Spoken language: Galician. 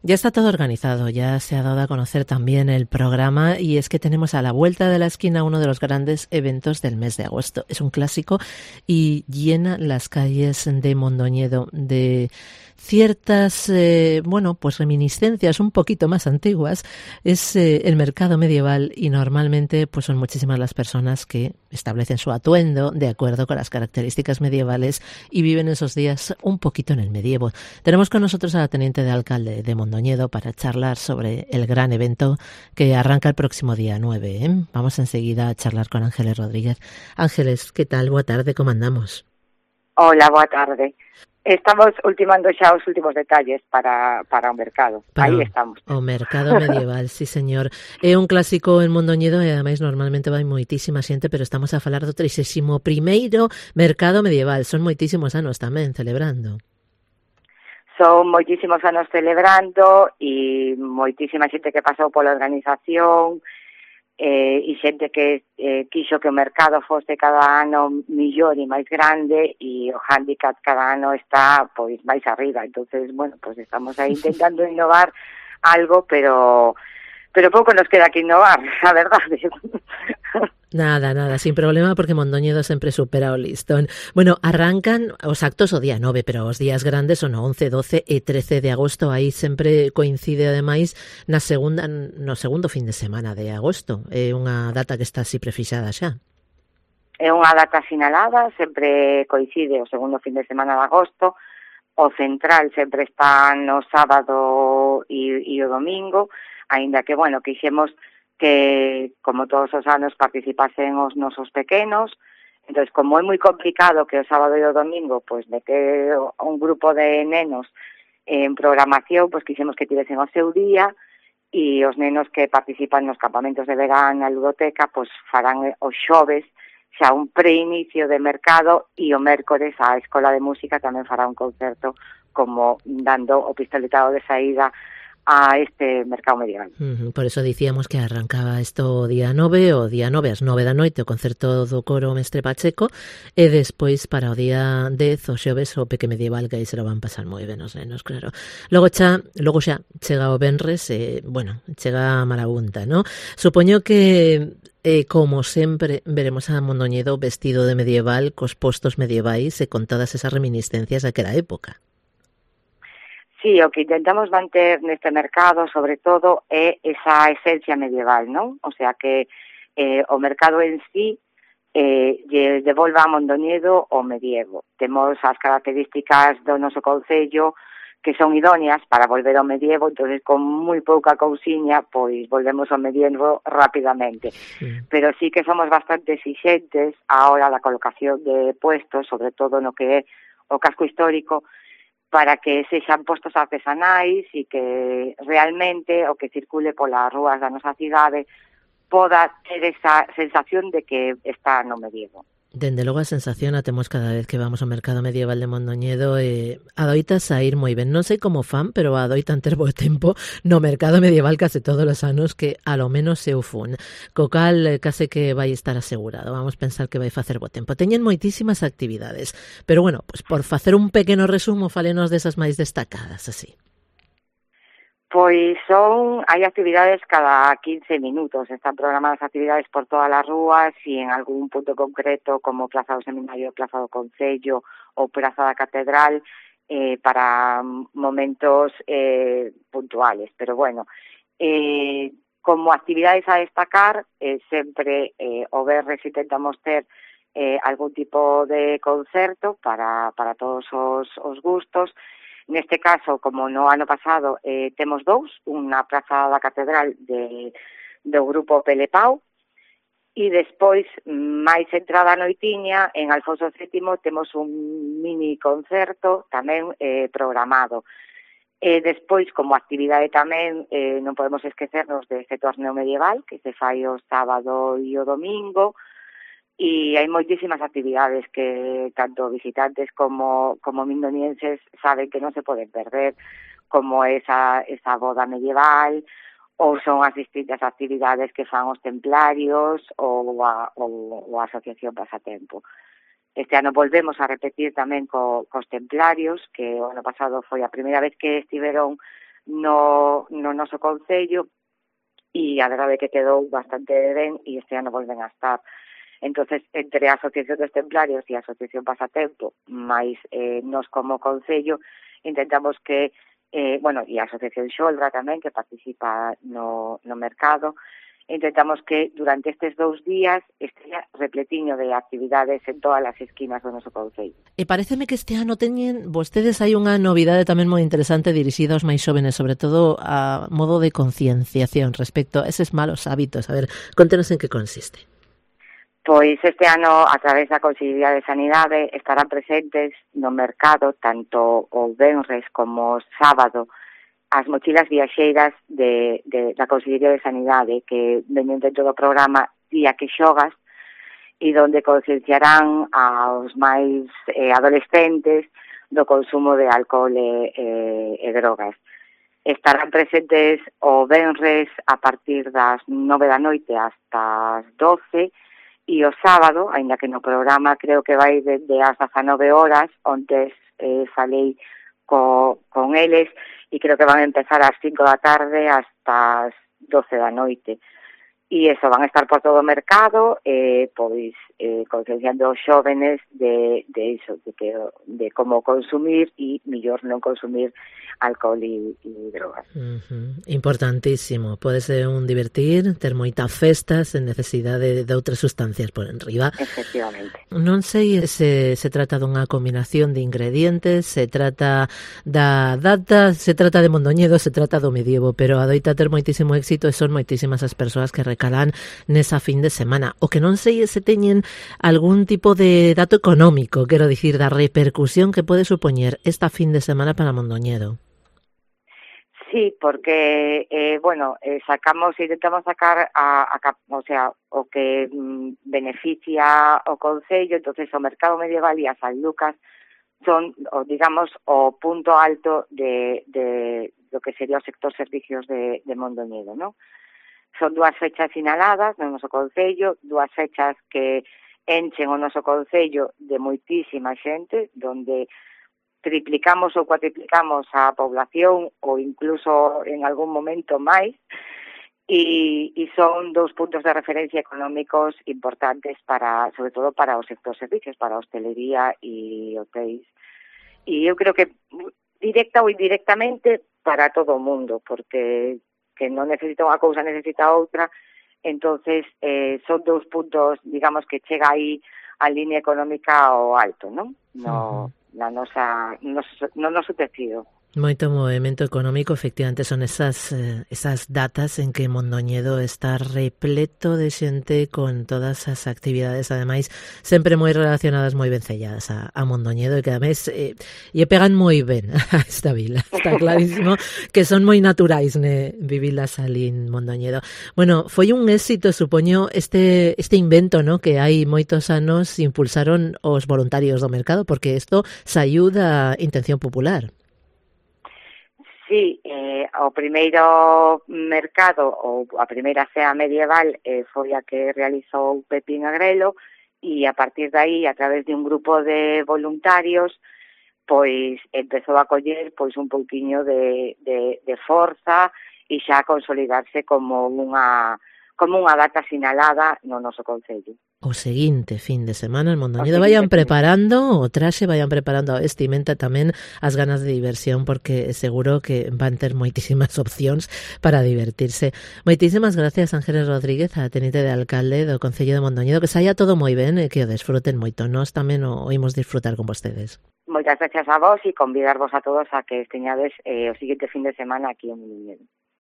Ya está todo organizado, ya se ha dado a conocer también el programa y es que tenemos a la vuelta de la esquina uno de los grandes eventos del mes de agosto. Es un clásico y llena las calles de Mondoñedo de ciertas, pues reminiscencias un poquito más antiguas. Es el mercado medieval y normalmente pues son muchísimas las personas que establecen su atuendo de acuerdo con las características medievales y viven esos días un poquito en el medievo. Tenemos con nosotros a la teniente de alcalde de Mondoñedo para charlar sobre el gran evento que arranca el próximo día 9. Vamos enseguida a charlar con Ángeles Rodríguez. Ángeles, ¿qué tal? Boa tarde, ¿cómo andamos? Hola, boa tarde. Estamos ultimando xa os últimos detalles para o mercado. Aí Para estamos. o mercado medieval, sí señor. É un clásico en Mondoñedo e ademais normalmente vai moitísima xente, pero estamos a falar do 31º mercado medieval. Son moitísimos anos tamén celebrando. Son moitísimos anos celebrando e moitísima xente que pasou pola organización e xente que quixo que o mercado fose cada ano millor e máis grande e o handicap cada ano está pois máis arriba. Entonces, bueno, pues estamos aí intentando innovar algo, pero pouco nos queda que innovar, a verdade. Nada, sin problema, porque Mondoñedo sempre supera o listón. Bueno, arrancan os actos o día 9, pero os días grandes son o 11, 12 e 13 de agosto. Aí sempre coincide, ademais, no segundo fin de semana de agosto. É unha data que está así prefixada xa. É unha data sinalada, sempre coincide o segundo fin de semana de agosto. O central sempre está no sábado e o domingo, aínda que, bueno, quixemos que, como todos os anos, participasen os nosos pequenos. Entón, como é moi complicado que o sábado e o domingo pois meter un grupo de nenos en programación, pois quixemos que tivesen o seu día e os nenos que participan nos campamentos de verán na ludoteca pois farán os xoves xa un preinicio de mercado e o mércores a Escola de Música tamén fará un concerto como dando o pistoletado de saída a este mercado medieval. Por eso dicíamos que arrancaba isto o día 9 ás 9 da noite o concerto do coro Mestre Pacheco e despois para o día 10 o xoves o peque medieval, que aí se lo van pasar moi ben os nenos, claro. Logo xa chega o venres e, chega a marabunta, ¿no? Supoño que como sempre veremos a Mondoñedo vestido de medieval cos postos medievais e con todas esas reminiscencias daquela época. Sí, o que intentamos manter neste mercado, sobre todo, é esa esencia medieval, non? O sea, que o mercado en sí lle devolva a Mondoñedo o medievo. Temos as características do noso concello que son idóneas para volver ao medievo, entonces con moi pouca cousiña, pois volvemos ao medievo rapidamente. Pero sí que somos bastante exigentes á hora da colocación de puestos, sobre todo no que é o casco histórico, para que sexan postos artesanais e que realmente o que circule polas rúas da nosa cidade poda ter esa sensación de que está no medievo. Dende logo a sensación a temos cada vez que vamos ao mercado medieval de Mondoñedo e adoita saír moi ben. Non sei como fan, pero adoitan ter bo tempo no mercado medieval case todos os anos, que a lo menos eu fun. Co cal case que vai estar asegurado. Vamos pensar que vai facer bo tempo. Teñen moitísimas actividades, pero bueno, pues por facer un pequeno resumo, falenos desas máis destacadas, así. Pois hai actividades cada 15 minutos, están programadas actividades por todas as rúas e en algún punto concreto como Plaza do Seminario, Plaza do Concello ou Praza da Catedral para momentos puntuales, pero bueno, como actividades a destacar, sempre o venres intentamos ter algún tipo de concerto para todos os gustos. Neste caso, como no ano pasado, temos dous, unha Praza da Catedral do grupo Pelepau, e despois, máis entrada a noitiña, en Alfonso VII temos un mini concerto tamén programado. Despois, como actividade tamén, non podemos esquecernos deste torneo medieval, que se fai o sábado e o domingo, e hai moitísimas actividades que tanto visitantes como mindonienses saben que non se poden perder, como esa boda medieval, ou son as distintas actividades que fan os templarios ou a Asociación Pasatempo. Este ano volvemos a repetir tamén cos templarios, que o ano pasado foi a primeira vez que estiveron no noso concello, e a verdade é que quedou bastante ben e este ano volven a estar. Entonces, entre a Asociación dos Templarios e a Asociación Pasatempo, máis nos como concello, intentamos que, e a Asociación Xolra tamén, que participa no mercado, intentamos que durante estes 2 días estea repletiño de actividades en todas as esquinas do noso concello. E pareceme que este ano teñen vostedes hai unha novidade tamén moi interesante dirixida aos máis xóvenes, sobre todo a modo de concienciación respecto a eses malos hábitos. A ver, contenos en que consiste. Pois este ano, a través da Consellería de Sanidade, estarán presentes no mercado tanto o venres como o sábado as mochilas viaxeiras da Consellería de Sanidade, que veñen dentro do programa Día que Xogas, e donde concienciarán aos máis adolescentes do consumo de alcohol e drogas. Estarán presentes o venres a partir das 9 da noite hasta as 12, e o sábado, aínda que no programa creo que vai desde as 19 horas, onde falei con eles, e creo que van a empezar ás 5 da tarde hasta as 12 da noite. E eso, van a estar por todo o mercado, pois concienciando os xóvenes de como consumir e mellor non consumir alcohol e drogas. Importantísimo. Pode ser un divertir, ter moitas festas sen necesidade de outras sustancias por enriba. Efectivamente. Non sei se trata dunha combinación de ingredientes, se trata da data, se trata de Mondoñedo, se trata do medievo, pero adoita ter moitísimo éxito e son moitísimas as persoas que recalan nesa fin de semana. O que non sei é se teñen algún tipo de dato económico, quero dicir, da repercusión que pode supoñer esta fin de semana para Mondoñedo. Sí, porque, intentamos sacar o que beneficia o concello. Entonces o mercado medieval e as Sanlucas son, o punto alto de do que sería o sector servicios de Mondoñedo, ¿no? Son 2 fechas sinaladas no noso concello, 2 fechas que enchen o noso concello de moitísima xente, donde triplicamos ou cuatriplicamos a población ou incluso en algún momento máis, e son 2 puntos de referencia económicos importantes sobre todo para o sector servicios, para a hostelería e hotéis. E eu creo que directa ou indirectamente para todo o mundo, porque que non necesita unha cousa, necesita outra. Entonces son 2 puntos, que chega aí a línea económica ao alto, non? No noso tecido. Moito movimento económico, efectivamente, son esas datas en que Mondoñedo está repleto de xente con todas as actividades, ademais, sempre moi relacionadas, moi vencelladas a Mondoñedo, e que ademais lle pegan moi ben a esta vila. Está clarísimo que son moi naturais vivilas ali en Mondoñedo. Bueno, foi un éxito, supoño, este invento, ¿no?, que hai moitos anos impulsaron os voluntarios do mercado, porque isto saiu da intención popular. Sí, o primeiro mercado ou a primeira cea medieval foi a que realizou Pepín Agrelo, e a partir de aí, a través de un grupo de voluntarios, pois empezou a coller pois un pouquiño de forza e xa a consolidarse como unha data sinalada no noso concello. O seguinte fin de semana en Mondoñedo vayan preparando o traxe, vayan preparando a vestimenta, tamén as ganas de diversión, porque seguro que van ter moitísimas opcións para divertirse. Moitísimas gracias, Ángeles Rodríguez, a tenente de alcalde do Concello de Mondoñedo, que saia todo moi ben e que o desfruten moito. Nós tamén o imos disfrutar con vostedes. Moitas gracias a vos e convidarvos a todos a que esteñades o seguinte fin de semana aquí en Mondoñedo.